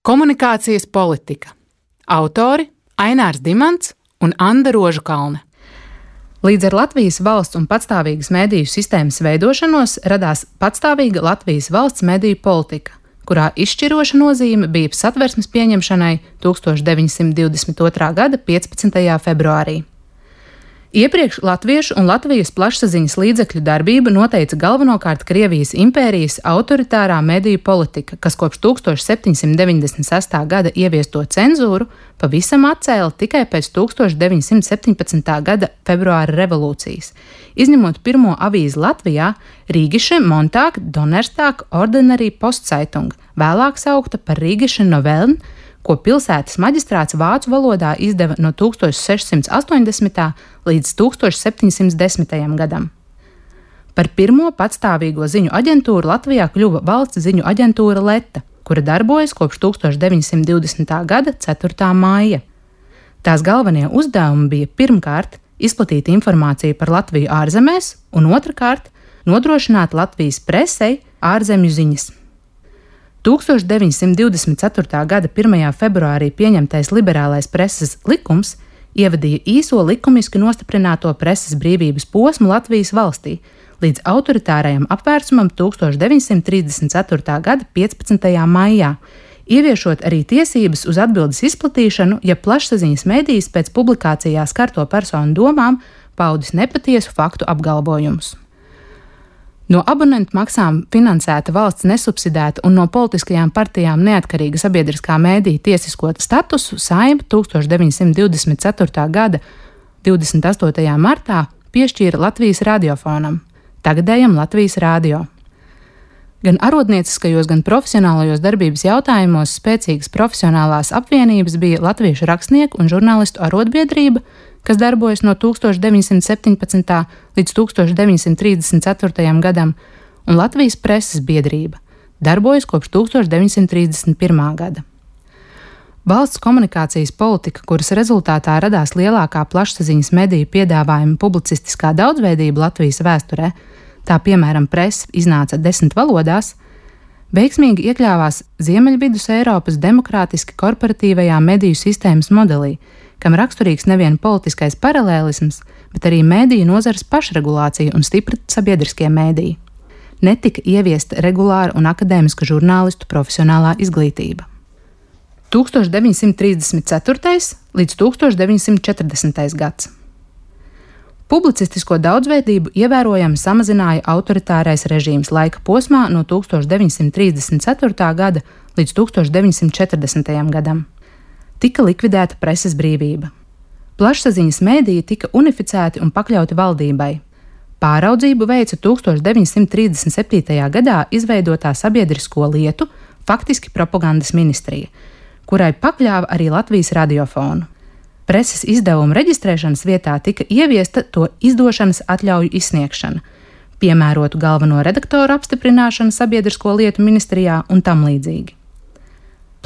Komunikācijas politika. Autori Ainārs Dimants un Anda Rožukalne. Līdz ar Latvijas valsts un patstāvīgas mediju sistēmas veidošanos radās patstāvīga Latvijas valsts mediju politika, kurā izšķiroša nozīme bija Satversmes pieņemšanai 1922. gada 15. februārī. Iepriekš latviešu un Latvijas plašsaziņas līdzekļu darbību noteica galvenokārt Krievijas impērijas autoritārā mediju politika, kas kopš 1796. gada ieviesto cenzūru pavisam atcēla tikai pēc 1917. gada februāra revolūcijas, izņemot pirmo avīzi Latvijā Rīgische Montag Donnerstag Ordinary Postzeitung, vēlāk saukta par Rīgische Novellen, ko pilsētas maģistrāts vācu valodā izdeva no 1680. līdz 1710. gadam. Par pirmo patstāvīgo ziņu aģentūru Latvijā kļuva valsts ziņu aģentūra Leta, kura darbojas kopš 1920. gada 4. māja. Tās galvenie uzdevumi bija pirmkārt izplatīt informāciju par Latviju ārzemēs un otrkārt nodrošināt Latvijas presei ārzemju ziņas. 1924. gada 1. februārī pieņemtais liberālais preses likums ievadīja īso likumiski nostiprināto preses brīvības posmu Latvijas valstī līdz autoritārajam apvērsumam 1934. gada 15. maijā, ieviešot arī tiesības uz atbildes izplatīšanu, ja plašsaziņas medijas pēc publikācijā skarto personu domām paudis nepatiesu faktu apgalvojumus. No abonentu maksām finansēta valsts nesubsidēta un no politiskajām partijām neatkarīga sabiedriskā mēdīja tiesisko statusu Saeima 1924. gada 28. martā piešķīra Latvijas radiofonam, tagadējam Latvijas radio. Gan arodnieciskajos, gan profesionālajos darbības jautājumos spēcīgas profesionālās apvienības bija Latviešu rakstnieku un žurnālistu arotbiedrība, kas darbojas no 1917. līdz 1934. gadam, un Latvijas preses biedrība, darbojas kopš 1931. gada. Valsts komunikācijas politika, kuras rezultātā radās lielākā plašsaziņas mediju piedāvājuma publicistiskā daudzveidība Latvijas vēsturē, tā piemēram presa iznāca 10 valodās, veiksmīgi iekļāvās Ziemeļvidus Eiropas demokrātiski korporatīvajā mediju sistēmas modelī, kam raksturīgs nevien politiskais paralēlisms, bet arī mediju nozares pašregulācija un stipra sabiedriskie mediji. Netika ieviesta regulāra un akadēmiska žurnālistu profesionālā izglītība. 1934. līdz 1940. gads. Publicistisko daudzveidību ievērojami samazināja autoritārais režīms laika posmā no 1934. gada līdz 1940. gadam. Tika likvidēta preses brīvība. Plašsaziņas mēdīji tika unificēti un pakļauti valdībai. Pāraudzību veica 1937. gadā izveidotā sabiedrisko lietu, faktiski propagandas ministrija, kurai pakļāva arī Latvijas radiofonu. Preses izdevumu reģistrēšanas vietā tika ieviesta to izdošanas atļauju izsniegšana, piemērotu galveno redaktoru apstiprināšana sabiedrisko lietu ministrijā un tam līdzīgi.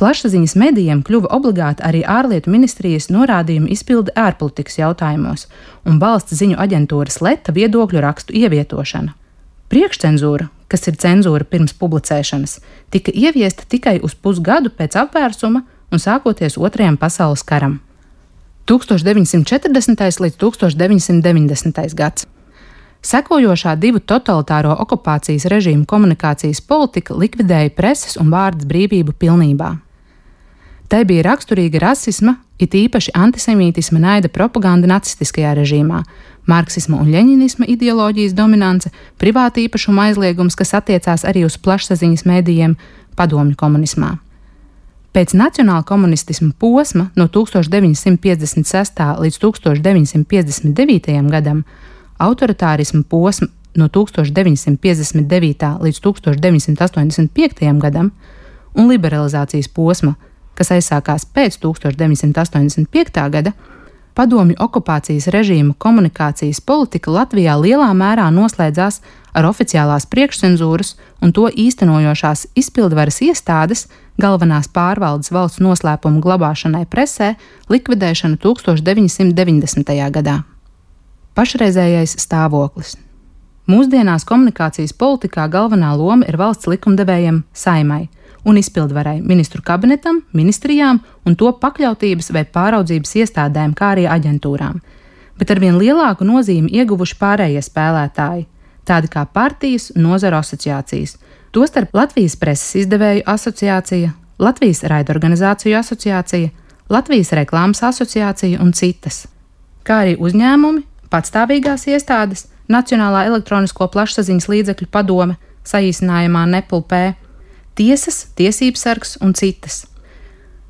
Plašsaziņas medijiem kļuva obligāti arī ārlietu ministrijas norādījumu izpilde ārpolitikas jautājumos un valsts ziņu aģentūras Leta viedokļu rakstu ievietošana. Priekšcenzūra, kas ir cenzūra pirms publicēšanas, tika ieviesta tikai uz pusgadu pēc apvērsuma un sākoties Otrajam pasaules karam. 1940. līdz 1990. gads. Sekojošā divu totalitāro okupācijas režīmu komunikācijas politika likvidēja preses un vārdas brīvību pilnībā. Tai bija raksturīga rasisma, it īpaši antisemītisma naida propaganda nacistiskajā režīmā, marksisma un ļeņinisma ideoloģijas dominance, privāta īpašuma aizliegums, kas attiecās arī uz plašsaziņas medijiem, padomju komunismā. Pēc nacionāla komunistisma posma no 1956. līdz 1959. gadam, autoritārisma posma no 1959. līdz 1985. gadam un liberalizācijas posma, kas aizsākās pēc 1985. gada, padomju okupācijas režīma komunikācijas politika Latvijā lielā mērā noslēdzās ar oficiālās priekšcenzūras un to īstenojošās izpildvaras iestādes galvenās pārvaldes valsts noslēpumu glabāšanai presē likvidēšanu 1990. gadā. Pašreizējais stāvoklis. Mūsdienās komunikācijas politikā galvenā loma ir valsts likumdevējiem Saeimai, un izpildvarai, ministru kabinetam, ministrijām un to pakļautības vai pāraudzības iestādēm, kā arī aģentūrām. Bet arvien lielāku nozīmi ieguvuši pārējie spēlētāji, tādi kā partijas un nozaru asociācijas, tostarp Latvijas preses izdevēju asociācija, Latvijas raidorganizāciju asociācija, Latvijas reklāmas asociācija un citas, kā arī uzņēmumi, patstāvīgās iestādes, Nacionālā elektronisko plašsaziņas līdzekļu padome, saīsinājumā NEPLP, tiesas, tiesības sargs un citas,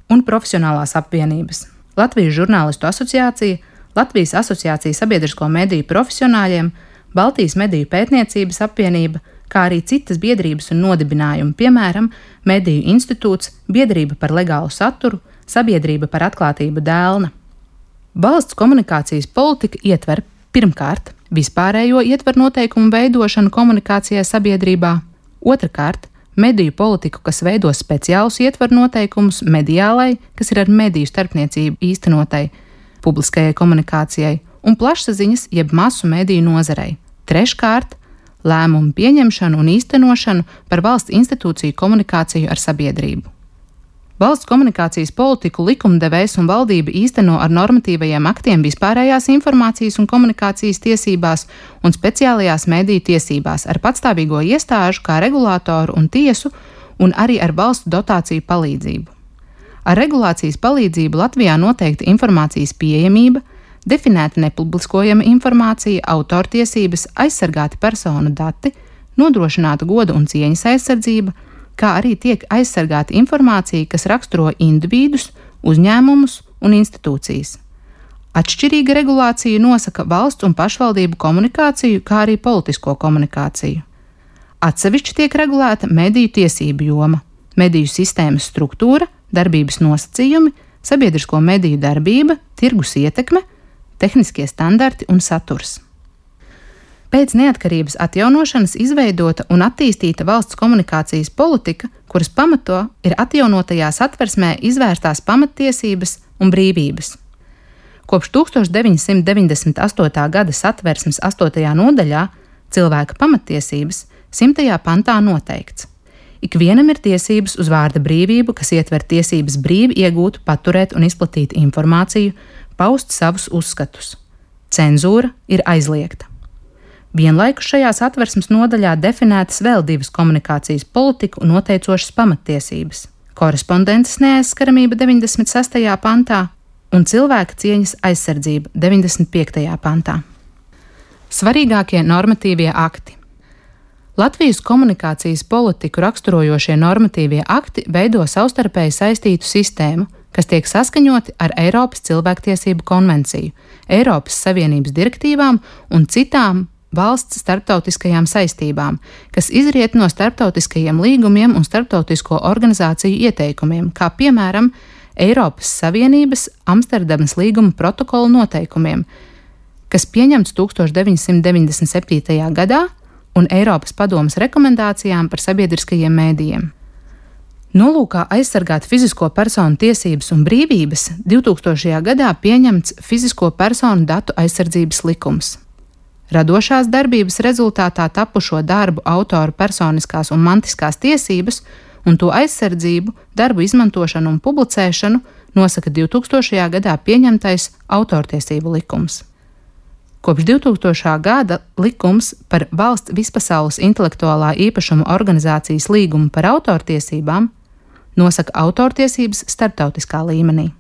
un profesionālās apvienības, Latvijas žurnālistu asociācija, Latvijas asociācija sabiedrisko mediju profesionāļiem, Baltijas mediju pētniecības apvienība, kā arī citas biedrības un nodibinājumi, piemēram, Mediju institūts, Biedrība par legālu saturu, Sabiedrība par atklātību Dēlna. Valsts komunikācijas politika ietver pirmkārt vispārējo ietvaru noteikumu veidošanu komunikācijai sabiedrībā, otrkārt mediju politiku, kas veido speciālus ietvaru noteikumus mediālai, kas ir ar mediju starpniecību īstenotai, publiskajai komunikācijai un plašsaziņas jeb masu mediju nozarei. Treškārt, lēmumu pieņemšanu un īstenošanu par valsts institūciju komunikāciju ar sabiedrību. Valsts komunikācijas politiku likumdevējs un valdība īsteno ar normatīvajiem aktiem vispārējās informācijas un komunikācijas tiesībās un speciālajās mediju tiesībās ar patstāvīgo iestāžu kā regulātoru un tiesu un arī ar valstu dotāciju palīdzību. Ar regulācijas palīdzību Latvijā noteikta informācijas pieejamība, definēta nepubliskojama informācija, autortiesības, aizsargāti personu dati, nodrošināta goda un cieņas aizsardzība, kā arī tiek aizsargāta informācija, kas raksturo individus, uzņēmumus un institūcijas. Atšķirīga regulācija nosaka valsts un pašvaldību komunikāciju, kā arī politisko komunikāciju. Atsevišķi tiek regulēta mediju tiesību joma, mediju sistēmas struktūra, darbības nosacījumi, sabiedrisko mediju darbība, tirgus ietekme, tehniskie standarti un saturs. Pēc neatkarības atjaunošanas izveidota un attīstīta valsts komunikācijas politika, kuras pamato ir atjaunotajā satversmē izvērstās pamattiesības un brīvības. Kopš 1998. gada satversmes 8. nodaļā cilvēka pamattiesības 100. pantā noteikts: ikvienam ir tiesības uz vārda brīvību, kas ietver tiesības brīvi iegūt, paturēt un izplatīt informāciju, paust savus uzskatus. Cenzūra ir aizliegta. Vienlaikus šajā satversmes nodaļā definētas vēl divas komunikācijas politiku noteicošas pamattiesības – korespondences neaizskaramība 96. pantā un cilvēka cieņas aizsardzība 95. pantā. Svarīgākie normatīvie akti. Latvijas komunikācijas politiku raksturojošie normatīvie akti veido savstarpēji saistītu sistēmu, kas tiek saskaņoti ar Eiropas cilvēktiesību konvenciju, Eiropas Savienības direktīvām un citām valsts starptautiskajām saistībām, kas izriet no starptautiskajiem līgumiem un starptautisko organizāciju ieteikumiem, kā piemēram Eiropas Savienības Amsterdamas līguma protokola noteikumiem, kas pieņemts 1997. gadā, un Eiropas padomes rekomendācijām par sabiedriskajiem mēdījiem. Nolūkā aizsargāt fizisko personu tiesības un brīvības 2000. gadā pieņemts Fizisko personu datu aizsardzības likums. Radošās darbības rezultātā tapušo darbu autoru personiskās un mantiskās tiesības un to aizsardzību, darbu izmantošanu un publicēšanu nosaka 2000. gadā pieņemtais autortiesību likums. Kopš 2000. gada likums par valsts vispasaules intelektuālā īpašuma organizācijas līgumu par autortiesībām nosaka autortiesības starptautiskā līmenī.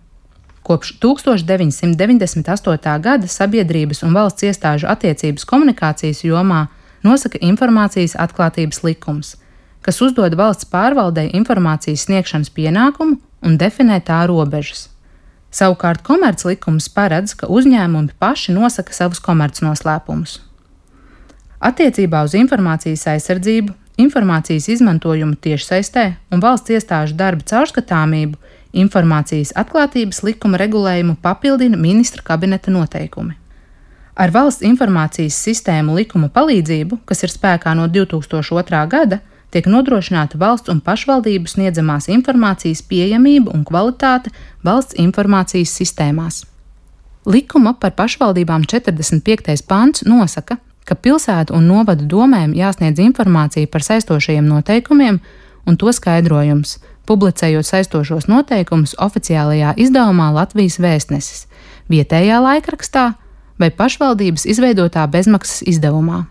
Kopš 1998. gada sabiedrības un valsts iestāžu attiecības komunikācijas jomā nosaka informācijas atklātības likums, kas uzdod valsts pārvaldei informācijas sniegšanas pienākumu un definē tā robežas. Savukārt komerclikums paredz, ka uzņēmumi paši nosaka savus komercnoslēpumus. Attiecībā uz informācijas aizsardzību, informācijas izmantojumu tiešsaistē un valsts iestāžu darba caurskatāmību informācijas atklātības likuma regulējumu papildina ministra kabineta noteikumi. Ar valsts informācijas sistēmu likuma palīdzību, kas ir spēkā no 2002. gada, tiek nodrošināta valsts un pašvaldību sniedzamās informācijas pieejamība un kvalitāte valsts informācijas sistēmās. Likuma par pašvaldībām 45. pants nosaka, ka pilsētu un novadu domēm jāsniedz informācija par saistošajiem noteikumiem un to skaidrojums, publicējot saistošos noteikumus oficiālajā izdevumā Latvijas Vēstnesis, vietējā laikrakstā vai pašvaldības izveidotā bezmaksas izdevumā.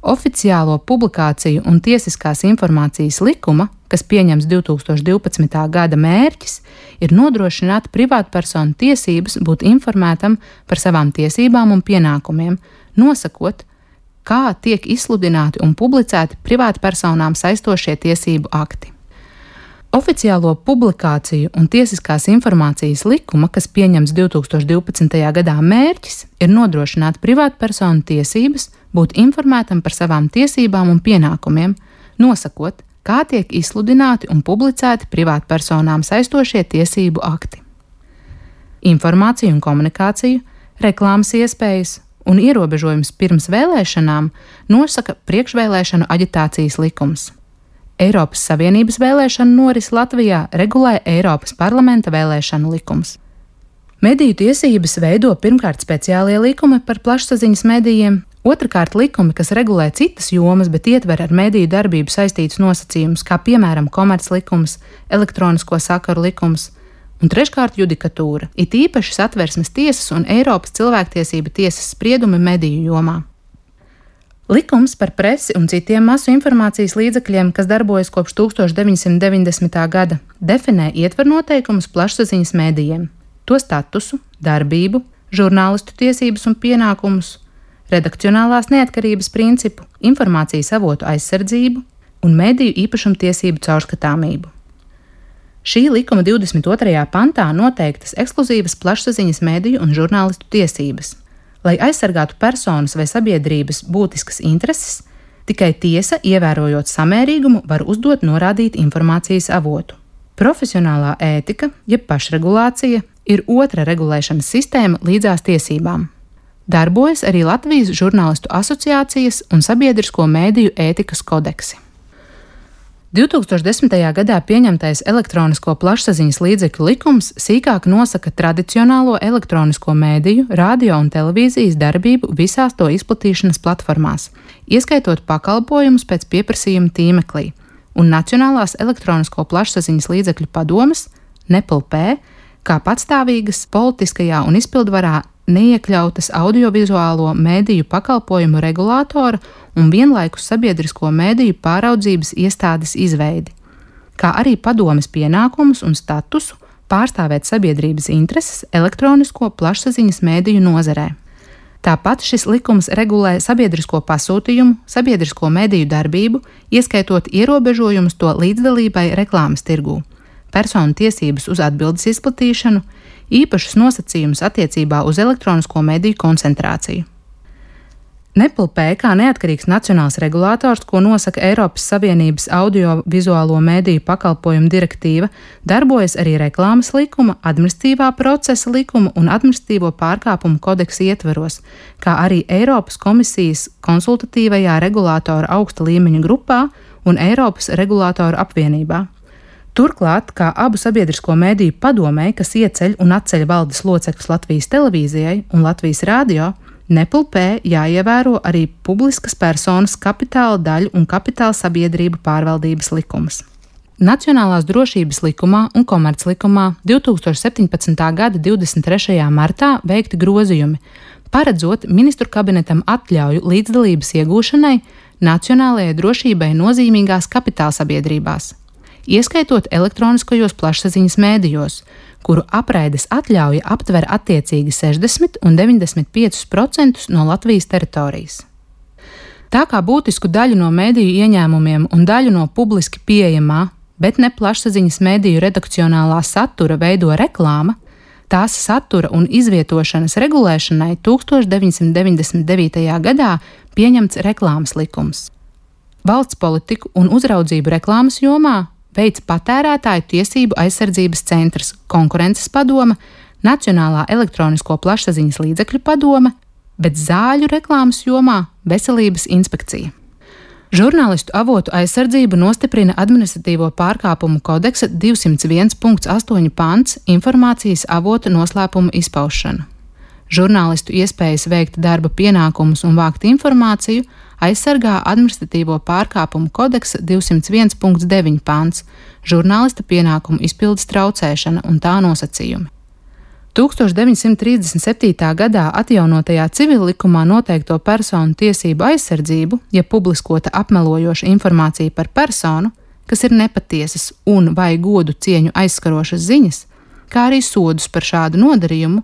Oficiālo publikāciju un tiesiskās informācijas likuma, kas pieņems 2012. gada mērķis, ir nodrošināt privātpersonu tiesības būt informētam par savām tiesībām un pienākumiem, nosakot, kā tiek izsludināti un publicēti privātpersonām saistošie tiesību akti. Oficiālo publikāciju un tiesiskās informācijas likuma, kas pieņems 2012. gadā mērķis, ir nodrošināt privātpersonu tiesības būt informētam par savām tiesībām un pienākumiem, nosakot, kā tiek izsludināti un publicēti privātpersonām saistošie tiesību akti. Informāciju un komunikāciju, reklāmas iespējas un ierobežojums pirms vēlēšanām nosaka priekšvēlēšanu aģitācijas likums. Eiropas Savienības vēlēšanu norisi Latvijā regulē Eiropas parlamenta vēlēšanu likums. Mediju tiesības veido pirmkārt speciālie likumi par plašsaziņas medijiem, otrkārt likumi, kas regulē citas jomas, bet ietver ar mediju darbību saistītus nosacījumus, kā piemēram komerclikums, elektronisko sakaru likums, un treškārt judikatūra, it īpaši Satversmes tiesas un Eiropas cilvēktiesību tiesas spriedumi mediju jomā. Likums par presi un citiem masu informācijas līdzekļiem, kas darbojas kopš 1990. gada, definē ietver noteikumus plašsaziņas medijiem, to statusu, darbību, žurnālistu tiesības un pienākumus, redakcionālās neatkarības principu, informācijas avotu aizsardzību un mediju īpašumtiesību caurskatāmību. Šī likuma 22. pantā noteiktas ekskluzīvas plašsaziņas mediju un žurnālistu tiesības. Lai aizsargātu personas vai sabiedrības būtiskas intereses, tikai tiesa, ievērojot samērīgumu, var uzdot norādīt informācijas avotu. Profesionālā ētika, jeb pašregulācija, ir otra regulēšanas sistēma līdzās tiesībām. Darbojas arī Latvijas žurnālistu asociācijas un sabiedrisko mēdīju ētikas kodeksi. 2010. gadā pieņemtais elektronisko plašsaziņas līdzekļu likums sīkāk nosaka tradicionālo elektronisko mēdīju, radio un televīzijas darbību visās to izplatīšanas platformās, ieskaitot pakalpojumus pēc pieprasījuma tīmeklī, un Nacionālās elektronisko plašsaziņas līdzekļu padomes, NEPLP, kā patstāvīgas politiskajā un izpildvarā neiekļautas audiovizuālo mēdīju pakalpojumu regulātora un vienlaikus sabiedrisko mēdīju pāraudzības iestādes izveidi, kā arī padomes pienākumus un statusu pārstāvēt sabiedrības intereses elektronisko plašsaziņas mēdīju nozarē. Tāpat šis likums regulē sabiedrisko pasūtījumu, sabiedrisko mēdīju darbību, ieskaitot ierobežojumus to līdzdalībai reklāmas tirgū, personu tiesības uz atbildes izplatīšanu, īpašus nosacījumus attiecībā uz elektronisko mediju koncentrāciju. NEPLP kā neatkarīgs nacionāls regulators, ko nosaka Eiropas Savienības audiovizuālo mediju pakalpojumu direktīva, darbojas arī reklāmas likuma, administratīvā procesa likuma un administratīvo pārkāpumu kodeksa ietveros, kā arī Eiropas komisijas konsultatīvajā regulātora augsta līmeņa grupā un Eiropas regulātoru apvienībā. Turklāt, kā abu sabiedrisko mediju padomei, kas ieceļ un atceļ valdes locekļus Latvijas televīzijai un Latvijas radio, NEPLP jāievēro arī publiskas personas kapitāla daļu un kapitāla sabiedrību pārvaldības likums. Nacionālās drošības likumā un komerclikumā 2017. gada 23. martā veikti grozījumi, paredzot ministru kabinetam atļauju līdzdalības iegūšanai nacionālajai drošībai nozīmīgās kapitāla sabiedrībās, ieskaitot elektroniskajos plašsaziņas mēdījos, kuru apraides atļauja aptver attiecīgi 60 un 95% no Latvijas teritorijas. Tā kā būtisku daļu no mēdīju ieņēmumiem un daļu no publiski pieejamā, bet ne plašsaziņas mēdīju redakcionālā satura veido reklāma, tās satura un izvietošanas regulēšanai 1999. gadā pieņemts reklāmas likums. Valsts politiku un uzraudzību reklāmas jomā veids Patērētāju tiesību aizsardzības centrs, Konkurences padome, Nacionālā elektronisko plašsaziņas līdzekļu padome, bet zāļu reklāmas jomā Veselības inspekcija. Žurnālistu avotu aizsardzību nostiprina administratīvo pārkāpumu kodeksa 201.8 pants informācijas avota noslēpuma izpaušana. Žurnālistu iespējas veikt darba pienākumus un vākt informāciju aizsargā administratīvo pārkāpumu kodeksa 201.9 pants - žurnālista pienākumu izpildes traucēšana un tā nosacījumi. 1937. gadā atjaunotajā civillikumā noteikto personu tiesību aizsardzību, ja publiskota apmelojoša informācija par personu, kas ir nepatiesas un vai godu cieņu aizskarošas ziņas, kā arī sodus par šādu nodarījumu,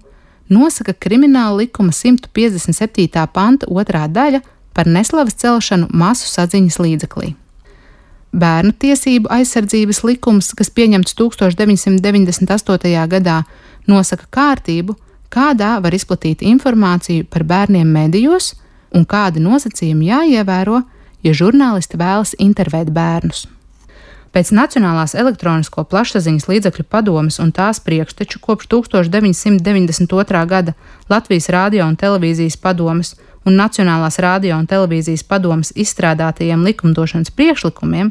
nosaka Krimināla likuma 157. panta 2. daļa par neslavas celšanu masu saziņas līdzeklī. Bērnu tiesību aizsardzības likums, kas pieņemts 1998. gadā, nosaka kārtību, kādā var izplatīt informāciju par bērniem medijos un kādi nosacījumi jāievēro, ja žurnālisti vēlas intervēt bērnus. Pēc Nacionālās elektronisko plašsaziņas līdzekļu padomes un tās priekšteču kopš 1992. gada Latvijas radio un televīzijas padomes un Nacionālās radio un televīzijas padomes izstrādātajiem likumdošanas priekšlikumiem,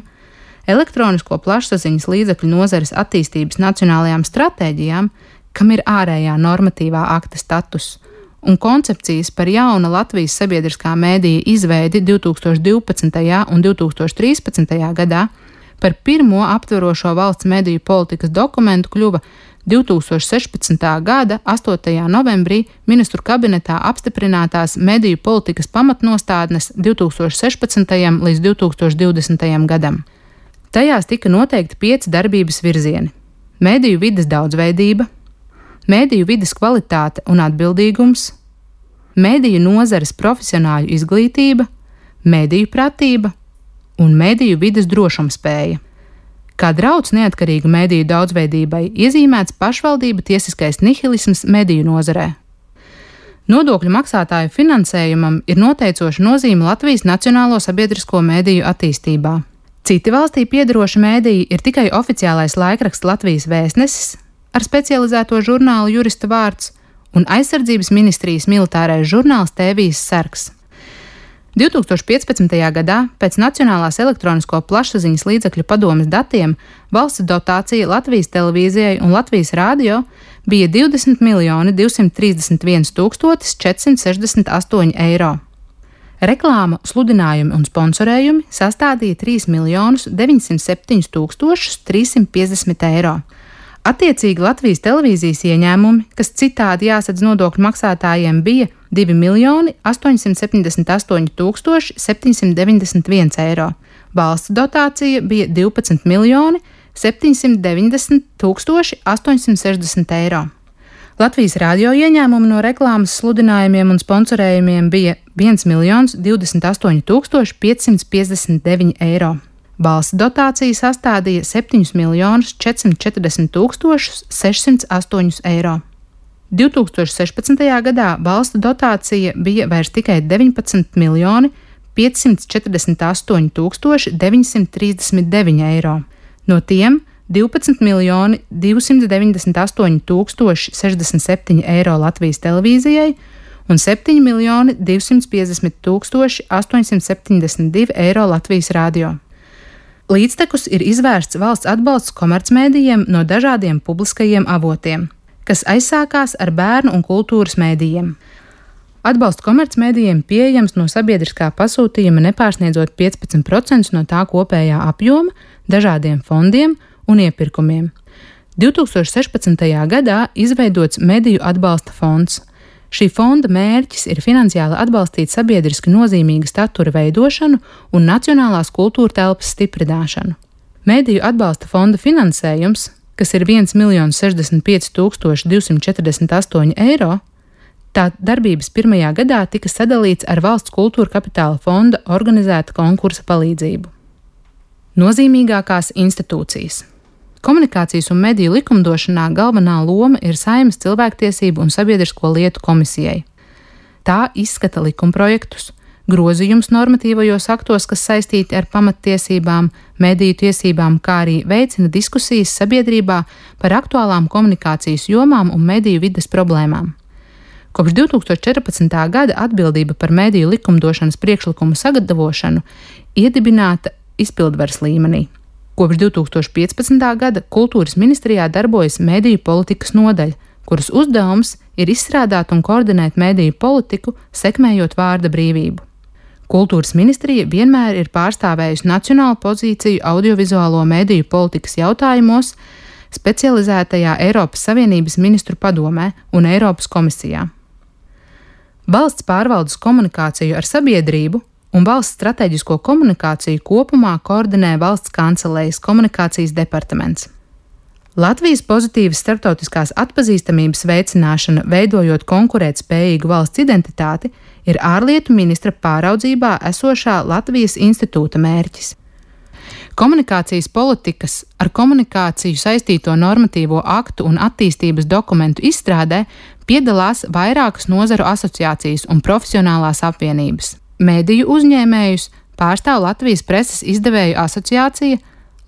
elektronisko plašsaziņas līdzekļu nozares attīstības nacionālajām stratēģijām, kam ir ārējā normatīvā akta status, un koncepcijas par jauna Latvijas sabiedriskā mēdīja izveidi 2012. un 2013. gadā, par pirmo aptverošo valsts mediju politikas dokumentu kļuva 2016. gada 8. novembrī ministru kabinetā apstiprinātās mediju politikas pamatnostādnes 2016. līdz 2020. gadam. Tajās tika noteikti 5 darbības virzieni - mediju vides daudzveidība, mediju vides kvalitāte un atbildīgums, mediju nozares profesionāļu izglītība, mediju pratība un mediju vides drošumspēja. Kā drauds neatkarīgu mediju daudzveidībai iezīmēts pašvaldību tiesiskais nihilisms mediju nozarē. Nodokļu maksātāju finansējumam ir noteicoša nozīme Latvijas nacionālo sabiedrisko mediju attīstībā. Citi valstī piederoši mediji ir tikai oficiālais laikraksts Latvijas Vēstnesis ar specializēto žurnālu Jurista vārds un aizsardzības ministrijas militārais žurnāls Tēvijas sargs. 2015. gadā pēc Nacionālās elektronisko plašsaziņas līdzekļu padomes datiem valsts dotācija Latvijas televīzijai un Latvijas radio bija 20 468 eiro. Reklāma, sludinājumi un sponsorējumi sastādīja 3 907 350 eiro. Attiecīgi Latvijas televīzijas ieņēmumi, kas citādi jāsadz nodokļu maksātājiem, bija 2 878 791 eiro. Valsts dotācija bija 12 790 860 eiro. Latvijas radio ieņēmumi no reklāmas, sludinājumiem un sponsorējumiem bija 1 028 559 eiro. Valsts dotācija sastādīja 7 440 608 eiro. 2016. gadā valsts dotācija bija vairs tikai 19 548 939 eiro. No tiem 12 298 067 eiro Latvijas televīzijai un 7 250 872 eiro Latvijas radio. Līdztekus ir izvērsts valsts atbalsts komercmēdījiem no dažādiem publiskajiem avotiem, kas aizsākās ar bērnu un kultūras mēdījiem. Atbalsts komercmēdījiem pieejams no sabiedriskā pasūtījuma nepārsniedzot 15% no tā kopējā apjoma, dažādiem fondiem un iepirkumiem. 2016. gadā izveidots Mediju atbalsta fonds. Šī fonda mērķis ir finansiāli atbalstīt sabiedriski nozīmīga statura veidošanu un nacionālās kultūra telpas stiprināšanu. Mediju atbalsta fonda finansējums, kas ir 1 065 248 eiro, tā darbības pirmajā gadā tika sadalīts ar Valsts kultūra kapitāla fonda organizēta konkursa palīdzību. Nozīmīgākās institūcijas. Komunikācijas un mediju likumdošanā galvenā loma ir Saeimas cilvēktiesību un sabiedrisko lietu komisijai. Tā izskata likumprojektus, grozījumus normatīvajos aktos, kas saistīti ar pamattiesībām, mediju tiesībām, kā arī veicina diskusijas sabiedrībā par aktuālām komunikācijas jomām un mediju vides problēmām. Kopš 2014. gada atbildība par mediju likumdošanas priekšlikumu sagatavošanu iedibināta izpildvaras līmenī. Kopš 2015. gada Kultūras ministrijā darbojas mediju politikas nodaļa, kuras uzdevums ir izstrādāt un koordinēt mediju politiku, sekmējot vārda brīvību. Kultūras ministrija vienmēr ir pārstāvējusi nacionālu pozīciju audiovizuālo mediju politikas jautājumos specializētajā Eiropas Savienības ministru padomē un Eiropas komisijā. Valsts pārvaldes komunikāciju ar sabiedrību un valsts strateģisko komunikāciju kopumā koordinē Valsts kancelejas komunikācijas departaments. Latvijas pozitīvas starptautiskās atpazīstamības veicināšana, veidojot konkurētspējīgu valsts identitāti, ir ārlietu ministra pāraudzībā esošā Latvijas institūta mērķis. Komunikācijas politikas ar komunikāciju saistīto normatīvo aktu un attīstības dokumentu izstrādē piedalās vairākas nozaru asociācijas un profesionālās apvienības. Mediju uzņēmējus pārstāv Latvijas preses izdevēju asociācija,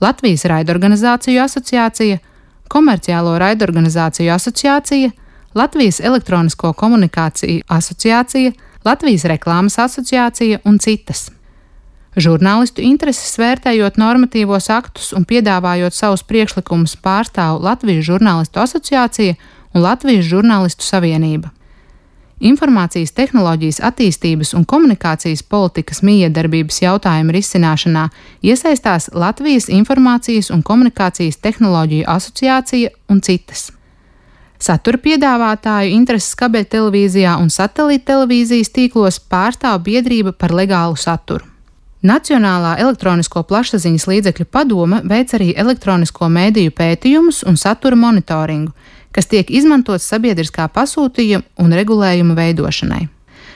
Latvijas raidorganizāciju asociācija, Komerciālo raidorganizāciju asociācija, Latvijas elektronisko komunikāciju asociācija, Latvijas reklāmas asociācija un citas. Žurnālistu intereses vērtējot normatīvos aktus un piedāvājot savus priekšlikumus pārstāv Latvijas žurnālistu asociācija un Latvijas žurnālistu savienība. Informācijas tehnoloģijas attīstības un komunikācijas politikas mijiedarbības jautājumu risināšanā iesaistās Latvijas informācijas un komunikācijas tehnoloģiju asociācija un citas. Satura piedāvātāju intereses kabeļtelevīzijā un satelīttelevīzijas tīklos pārstāv biedrība par legālu saturu. Nacionālā elektronisko plašsaziņas līdzekļu padome veic arī elektronisko mēdīju pētījumus un satura monitoringu, kas tiek izmantots sabiedriskā pasūtījuma un regulējuma veidošanai.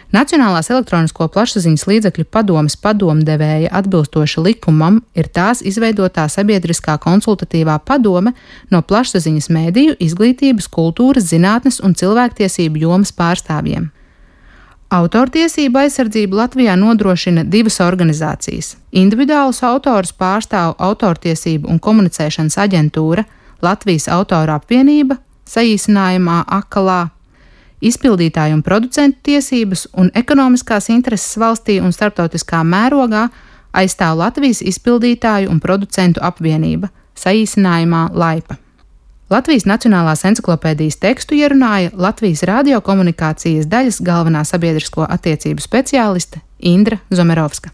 Nacionālās elektronisko plašsaziņas līdzekļu padomes padomdevēja atbilstoši likumam ir tās izveidotā sabiedriskā konsultatīvā padome no plašsaziņas mēdīju, izglītības, kultūras, zinātnes un cilvēktiesību jomas pārstāvjiem. Autortiesību aizsardzību Latvijā nodrošina divas organizācijas. Individuālus autorus pārstāv Autortiesību un komunicēšanas aģentūra Latvijas autoru apvienība, saīsinājumā AKLA, izpildītāju un producentu tiesības un ekonomiskās intereses valstī un starptautiskā mērogā aizstāv Latvijas izpildītāju un producentu apvienība, saīsinājumā LAIPA. Latvijas Nacionālās enciklopēdijas tekstu ierunāja Latvijas radiokomunikācijas daļas galvenā sabiedrisko attiecību speciāliste Indra Zomerovska.